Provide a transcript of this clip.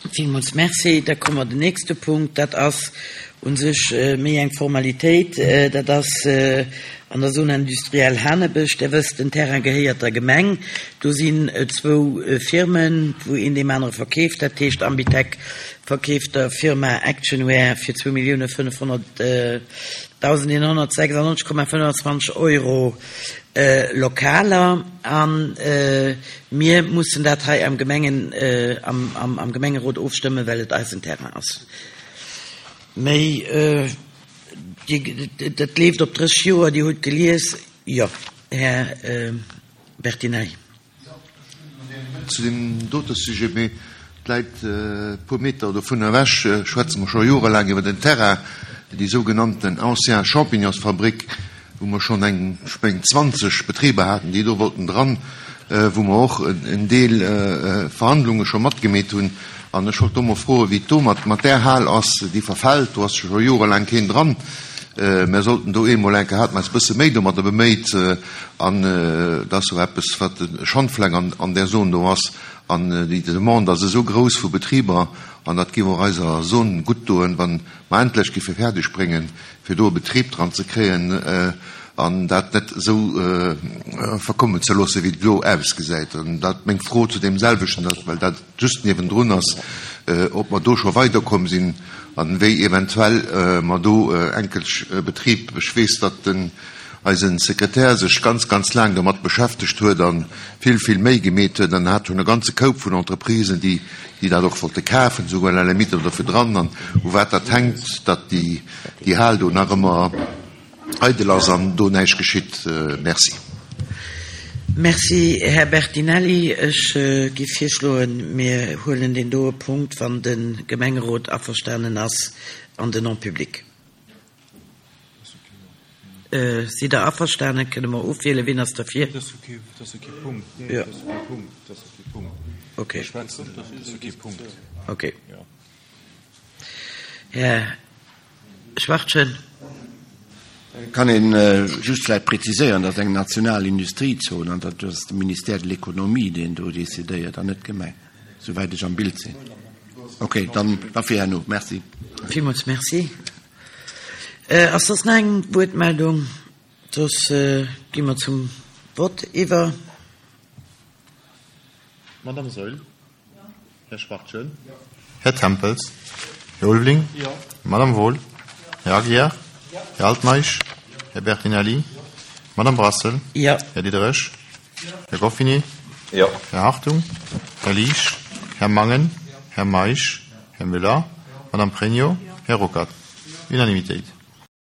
Villmools Merci. Da komme mer den nächste Punkt. Dat ass u sech méi eng Formalitéit. Dat ass an der Zone industrielle Hanebësch. Der wësst, den Terrain gehéiert der Gemeng. Do sinn zwou Firmen, wou een deem anere verkeeft. Dat heescht, Ambitec verkeeft der Firma Actionware fir 2.500.196,25 Euro Lokaler. A mir mussen dat hei am Gemengen, am Gemengerot ofstëmmen, well et eisen Terrain ass. Méi, dat leeft op 30 Joer. Dir hutt gelies. Jo, Här Bertinelli. Zu deem dote Sujet, mee et läit e puer Meter dovun ewech, schwätze mer scho jorelaang iwwer den Terrain, déi sougenannten ancien Champignonsfabrik, wou mer schonn eng, ech mengen, 20 Betriber haten, déi do wollten dran, wou mer och en Deel Verhandlunge scho matgemeet hunn. An ech wollt do mol froen, wéi et do mat där Hal ass, déi verfält, do ass scho jorelaang keen dran. Mer sollten do eemol eng Kéier, hate mer eis e bësse méi domadder beméit, an dat ass jo eppes, wat e Schandfleck an där Zon do ass. An déi Demande ass esou grouss vu Betriber, an dat géif och eiser Zon gutt doen, wa mer endlech géife fäerdeg bréngen, fir do e Betrib dran ze kréien an dat net esou verkommen ze loossen, wéi et elo ausgesäit. An dat meng Fro zu deem selwechten, well dat just niewendrun ass, ob mer do scho weiderkomm sinn an wéi eventuell mer do enkelch Betrib, ech weess, datt den eisen Sekretär sech ganz, ganz laang domat beschäftegt huet a vill, vill Méi gemeet huet an hat schonn e ganze Koup vun Entreprisen, déi, déi dat och wollte kafen, souguer à la limite oder dofir dran. An u wat dat hänkt, datt déi, déi Hal do nach ëmmer eidel ass an do näischt geschitt. Merci. Merci, Här Bertinelli. Ech géif virschloen, mir huelen deen doe Punkt, wann de Gemengerot averstanen ass, an den En public. Sidd Der averstanen? Kënne mer ofwielen? Wien ass derfir? Jo. Okay. Okay. Här Schwachtgen. Kann een just vläicht präziséieren, datt eng national Industriezon an dat ass de Ministère de l'Économie, deen do decidéiert an net d'Gemeng, souwäit ech am Bild sinn. Okay, dann da fir herno. Merci. Villmools Merci. Ass soss nach eng Wuertmeldung? Soss gi mer zum Vott iwwer. Madame Saeul. Här Schwachtgen. Här Tempels. Här Ulveling. Madame Wohl. Här Aguiar. Här Altmeisch. Här Bertinelli. Madame Brassel. Här Diderich. Här Goffinet. Här Hartung. Här Liesch. Här Mangen. Här Meisch. Här Müller. Madame Pregno. Här Ruckert. Unanimitéit.